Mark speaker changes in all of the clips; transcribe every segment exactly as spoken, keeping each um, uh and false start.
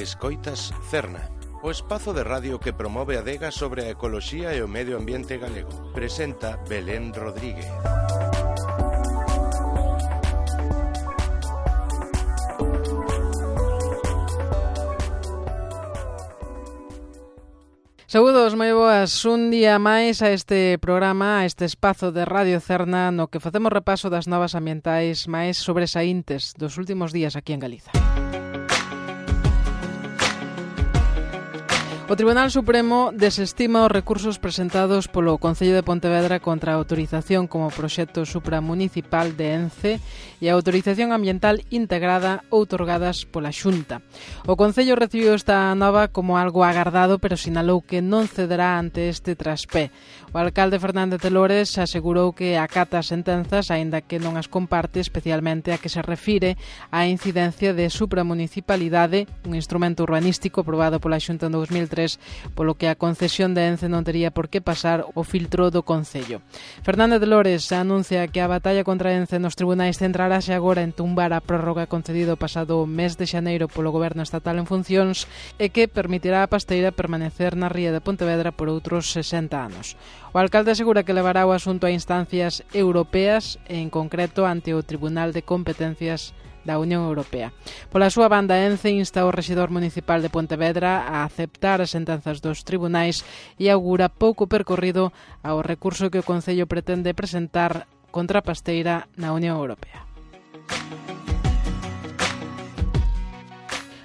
Speaker 1: Escoitas Cerna, o espazo de radio que promove a adega sobre a ecoloxía e o medio ambiente galego. Presenta Belén Rodríguez.
Speaker 2: Saúdos, moi boas, un día máis a este programa, a este espazo de Radio Cerna no que facemos repaso das novas ambientais máis sobresaíntes dos últimos días aquí en Galiza. O Tribunal Supremo desestima os recursos presentados polo Concello de Pontevedra contra a autorización como proxecto supramunicipal de ENCE e a autorización ambiental integrada outorgadas pola Xunta. O Concello recibiu esta nova como algo agardado, pero sinalou que non cederá ante este traspé. O alcalde Fernández de Lores asegurou que acata as sentenzas, aínda que non as comparte, especialmente a que se refire á incidencia de supramunicipalidade, un instrumento urbanístico aprobado pola Xunta en dous mil tres, polo que a concesión de ENCE non tería por que pasar o filtro do Concello. Fernández de Lores anuncia que a batalla contra ENCE nos tribunais centrarase agora en tumbar a prórroga concedido o pasado mes de xaneiro polo Goberno Estatal en funcións e que permitirá a pasteira permanecer na ría de Pontevedra por outros sesenta anos. O alcalde asegura que levará o asunto a instancias europeas, en concreto ante o Tribunal de Competencias da Unión Europea. Pola súa banda, ENCE insta ao rexedor municipal de Pontevedra a aceptar as sentenzas dos tribunais e augura pouco percorrido ao recurso que o Concello pretende presentar contra a pasteira na Unión Europea.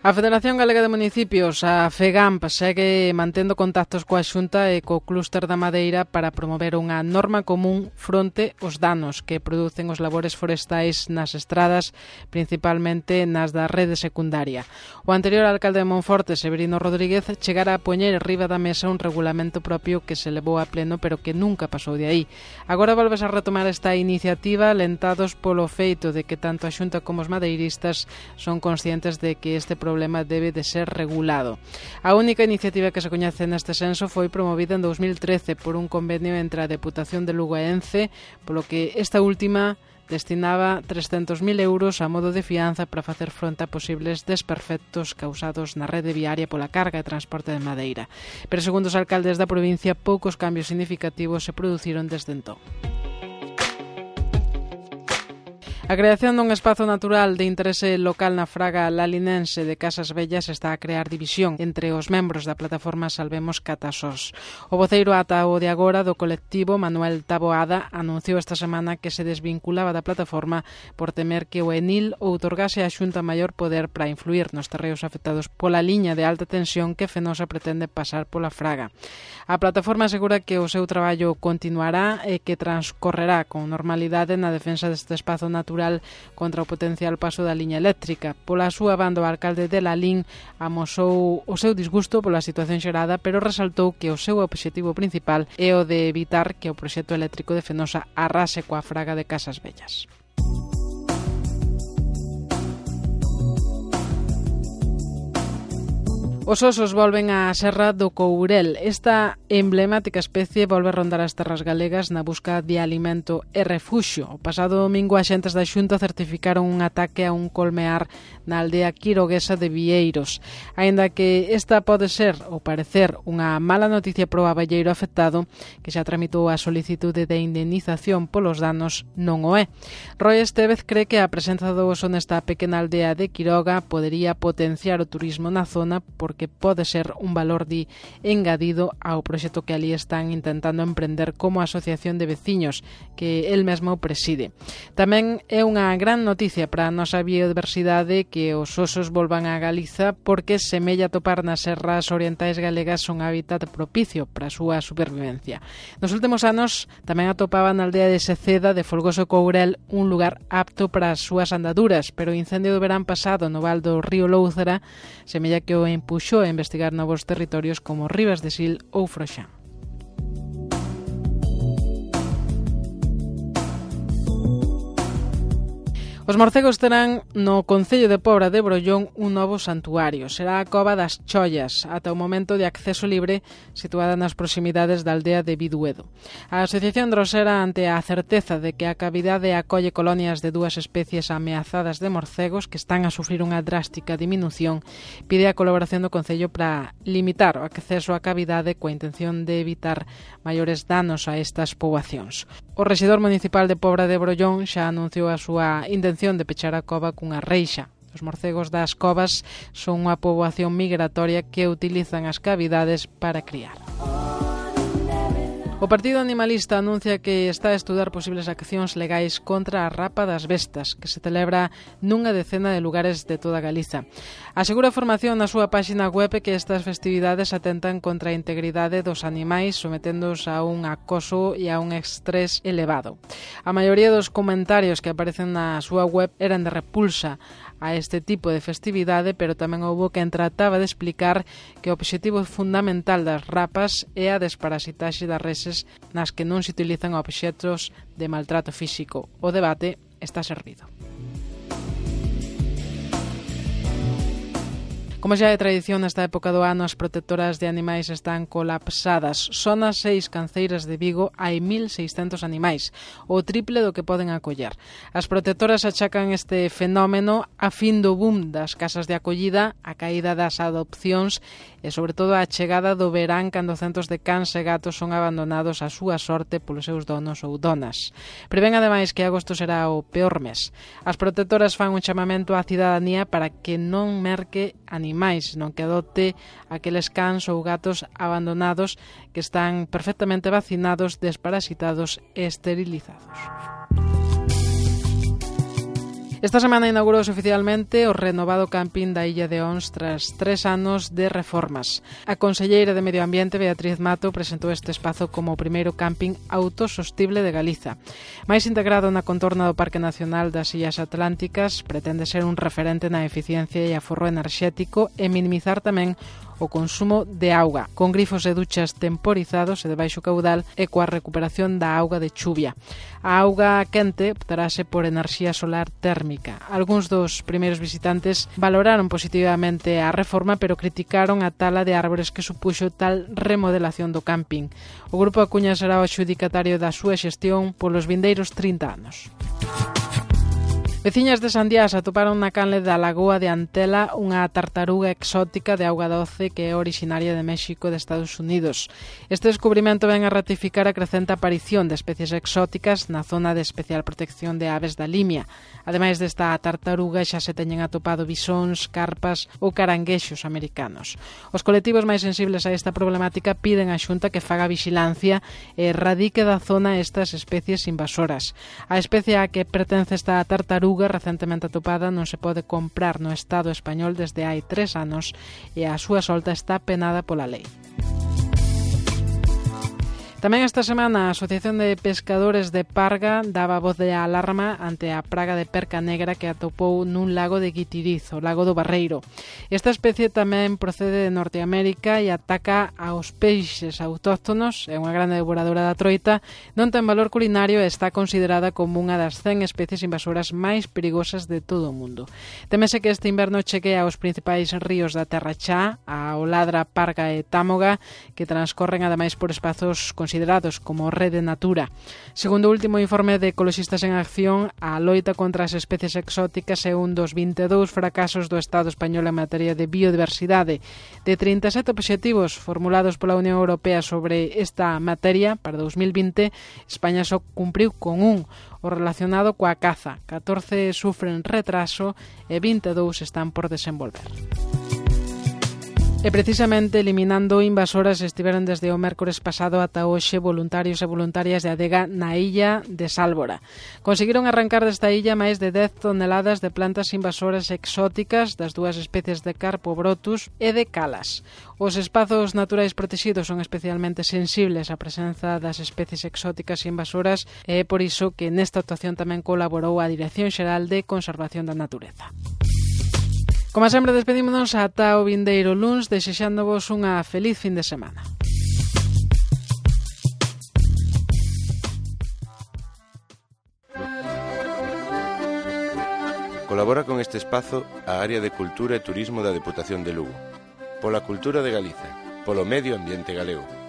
Speaker 2: A Federación Galega de Municipios, a FEGAMP, segue mantendo contactos coa Xunta e co Clúster da Madeira para promover unha norma común fronte aos danos que producen os labores forestais nas estradas, principalmente nas da rede secundaria. O anterior alcalde de Monforte, Severino Rodríguez, chegara a poñer riba da mesa un regulamento propio que se levou a pleno, pero que nunca pasou de aí. Agora volves a retomar esta iniciativa, alentados polo feito de que tanto a Xunta como os madeiristas son conscientes de que este problema O problema debe de ser regulado. A única iniciativa que se coñece neste senso foi promovida en dous mil trece por un convenio entre a Deputación de Lugo e ENCE, polo que esta última destinaba trescentos mil euros a modo de fianza para facer fronte a posibles desperfectos causados na rede viaria pola carga e transporte de madeira. Pero segundo os alcaldes da provincia, poucos cambios significativos se produciron desde entón. A creación dun espazo natural de interese local na fraga lalinense de Casas Vellas está a crear división entre os membros da plataforma Salvemos Catasós. O voceiro ata o de agora do colectivo, Manuel Taboada, anunciou esta semana que se desvinculaba da plataforma por temer que o Enil outorgase á Xunta maior poder para influir nos terreos afectados pola liña de alta tensión que Fenosa pretende pasar pola fraga. A plataforma asegura que o seu traballo continuará e que transcorrerá con normalidade na defensa deste espazo natural contra o potencial paso da liña eléctrica. Pola súa banda, o alcalde de Lalín amosou o seu disgusto pola situación xerada, pero resaltou que o seu obxectivo principal é o de evitar que o proxecto eléctrico de Fenosa arrase coa fraga de Casas Vellas. Os osos volven á Serra do Courel. Esta emblemática especie volve a rondar as terras galegas na busca de alimento e refuxio. O pasado domingo, axentes da Xunta certificaron un ataque a un colmear na aldea quiroguesa de Vieiros. Aínda que esta pode ser, ou parecer, unha mala noticia pro aballeiro afectado, que xa tramitou a solicitude de indemnización polos danos, non o é. Roy Estevez cree que a presenza do oso nesta pequena aldea de Quiroga podería potenciar o turismo na zona porque pode ser un valor di engadido ao proxecto que ali están intentando emprender como asociación de veciños que el mesmo preside. Tamén é unha gran noticia para a nosa biodiversidade que os osos volvan a Galiza porque semella topar nas serras orientais galegas un hábitat propicio para a súa supervivencia. Nos últimos anos tamén atopaban na aldea de Seceda de Folgoso Courel un lugar apto para as súas andaduras, pero o incendio do verán pasado no val do río Louzara semella que o empuxou a investigar novos territorios como Ribas de Sil ou Froxán. Os morcegos terán no concello de Pobra de Brollón un novo santuario. Será a Cova das Chollas, ata o momento de acceso libre, situada nas proximidades da aldea de Biduedo. A Asociación Drosera, ante a certeza de que a cavidade acolle colonias de dúas especies ameazadas de morcegos que están a sufrir unha drástica diminución, pide a colaboración do concello para limitar o acceso á cavidade coa intención de evitar maiores danos a estas poboacións. O rexedor municipal de Pobra de Brollón xa anunciou a súa intención de pechar a cova cunha reixa. Os morcegos das covas son unha poboación migratoria que utilizan as cavidades para criar. O Partido Animalista anuncia que está a estudar posibles accións legais contra a rapa das bestas, que se celebra nunha decena de lugares de toda Galiza. Asegura a formación na súa páxina web que estas festividades atentan contra a integridade dos animais, someténdoos a un acoso e a un estrés elevado. A maioría dos comentarios que aparecen na súa web eran de repulsa a este tipo de festividade, pero tamén houbo quen trataba de explicar que o obxectivo fundamental das rapas é a desparasitaxe das reses nas que non se utilizan obxectos de maltrato físico. O debate está servido. Como xa é tradición nesta época do ano, as protectoras de animais están colapsadas. Só nas seis canceiras de Vigo hai mil seiscentos animais, o triple do que poden acoller. As protectoras achacan este fenómeno a fin do boom das casas de acollida, a caída das adopcións e, sobre todo, a chegada do verán cando centos de cans e gatos son abandonados á súa sorte polos seus donos ou donas. Prevén, ademais, que agosto será o peor mes. As protectoras fan un chamamento á cidadanía para que non merque animais animais, non que adopte aqueles cans ou gatos abandonados que están perfectamente vacinados, desparasitados e esterilizados. Esta semana inaugurouse oficialmente o renovado camping da Illa de Ons tras tres anos de reformas. A conselleira de Medio Ambiente, Beatriz Mato, presentou este espazo como o primeiro camping autosostible de Galiza. Mais integrado na contorna do Parque Nacional das Illas Atlánticas, pretende ser un referente na eficiencia e aforro enerxético e minimizar tamén o consumo de auga, con grifos e duchas temporizados e de baixo caudal e coa recuperación da auga de chuvia. A auga quente optarase por enerxía solar térmica. Algúns dos primeiros visitantes valoraron positivamente a reforma, pero criticaron a tala de árbores que supuxo tal remodelación do camping. O Grupo Acuña será o adxudicatario da súa xestión polos vindeiros trinta anos. Veciñas de Sandiás atoparon na canle da Lagoa de Antela unha tartaruga exótica de auga doce que é originaria de México e de Estados Unidos. Este descubrimento ven a ratificar a crecente aparición de especies exóticas na zona de especial protección de aves da Limia. Ademais desta tartaruga xa se teñen atopado bisóns, carpas ou caranguexos americanos. Os colectivos máis sensibles a esta problemática piden á Xunta que faga vixilancia e erradique da zona estas especies invasoras. A especie a que pertence esta tartaruga recentemente atopada non se pode comprar no Estado español desde hai tres anos e a súa solta está penada pola lei. Tamén esta semana a Asociación de Pescadores de Parga daba voz de alarma ante a praga de perca negra que atopou nun lago de Guitiriz, o lago do Barreiro. Esta especie tamén procede de Norteamérica e ataca aos peixes autóctonos, é unha grande devoradora da troita, non ten valor culinario e está considerada como unha das cen especies invasoras máis perigosas de todo o mundo. Temese que este inverno cheque aos principais ríos da Terra Chá, a Oladra, Parga e Támoga, que transcorren ademais por espazos considerados como rede natura. Segundo o último informe de Ecoloxistas en Acción, a loita contra as especies exóticas é un dos vinte e dous fracasos do Estado español en materia de biodiversidade. De trinta e sete obxectivos formulados pola Unión Europea sobre esta materia para dous mil vinte, España só cumpriu con un, o relacionado coa caza. catorce sufren retraso e vinte e dous están por desenvolver. E precisamente eliminando invasoras estiveron desde o mércores pasado ata hoxe voluntarios e voluntarias de adega na illa de Sálvora. Conseguiron arrancar desta illa máis de dez toneladas de plantas invasoras exóticas das dúas especies de Carpo brotus e de Calas. Os espazos naturais protegidos son especialmente sensibles á presenza das especies exóticas e invasoras e é por iso que nesta actuación tamén colaborou a Dirección Xeral de Conservación da Natureza. Como sempre, despedímonos ata o vindeiro luns, desexándovos unha feliz fin de semana.
Speaker 1: Colabora con este espazo a Área de Cultura e Turismo da Deputación de Lugo. Pola cultura de Galiza, polo medio ambiente galego.